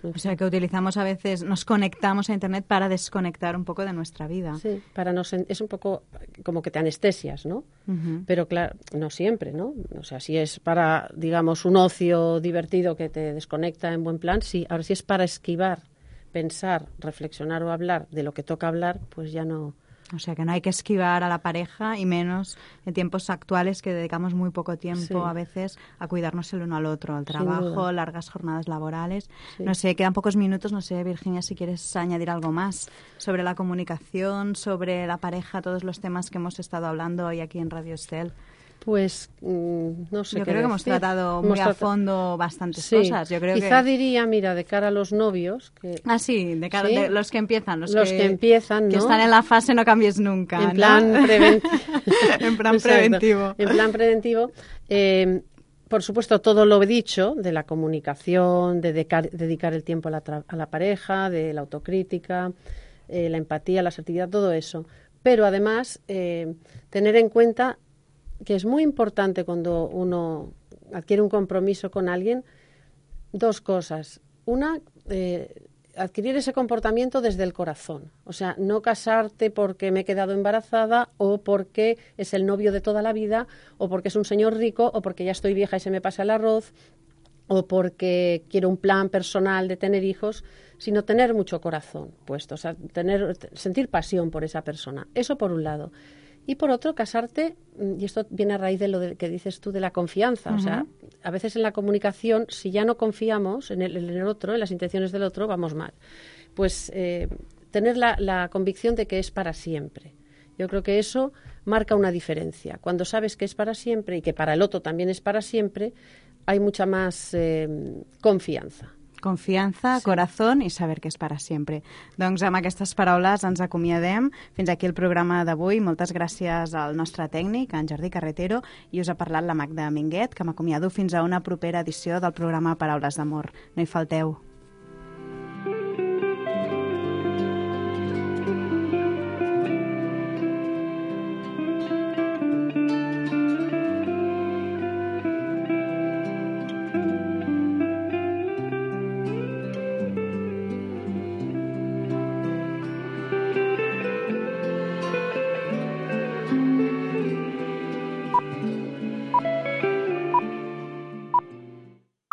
O sea, que utilizamos a veces, nos conectamos a internet para desconectar un poco de nuestra vida. Sí, es un poco como que te anestesias, ¿no? Pero claro, no siempre, ¿no? O sea, si es para, digamos, un ocio divertido que te desconecta en buen plan, sí. Ahora, si es para esquivar, pensar, reflexionar o hablar de lo que toca hablar, pues ya no. O sea, que no hay que esquivar a la pareja y menos en tiempos actuales que dedicamos muy poco tiempo a veces a cuidarnos el uno al otro, al trabajo, largas jornadas laborales. Sí. No sé, quedan pocos minutos, no sé, Virginia, si quieres añadir algo más sobre la comunicación, sobre la pareja, todos los temas que hemos estado hablando hoy aquí en Radio Estel. Pues no sé. Yo creo que hemos tratado muy a fondo bastantes cosas. Yo creo Quizá diría, mira, de cara a los novios. De cara a los que empiezan. Los que empiezan, ¿no? Que están en la fase no cambies nunca. En plan en plan preventivo. En plan preventivo. Por supuesto, todo lo he dicho, de la comunicación, de dedicar el tiempo a la pareja, de la autocrítica, la empatía, la asertividad, todo eso. Pero además, tener en cuenta que es muy importante cuando uno adquiere un compromiso con alguien, dos cosas. Una, adquirir ese comportamiento desde el corazón. O sea, no casarte porque me he quedado embarazada o porque es el novio de toda la vida o porque es un señor rico o porque ya estoy vieja y se me pasa el arroz o porque quiero un plan personal de tener hijos, sino tener mucho corazón puesto, o sea, sentir pasión por esa persona. Eso por un lado. Y por otro, casarte, y esto viene a raíz de lo que dices tú de la confianza. O sea, a veces en la comunicación, si ya no confiamos en el otro, en las intenciones del otro, vamos mal. Pues tener la convicción de que es para siempre. Yo creo que eso marca una diferencia. Cuando sabes que es para siempre y que para el otro también es para siempre, hay mucha más confianza. Confiança, corazón i saber que és per a sempre. Doncs amb aquestes paraules ens acomiadem. Fins aquí el programa d'avui. Moltes gràcies al nostre tècnic, en Jordi Carretero, i us ha parlat la Magda Minguet, que m'acomiado fins a una propera edició del programa Paraules d'Amor. No hi falteu.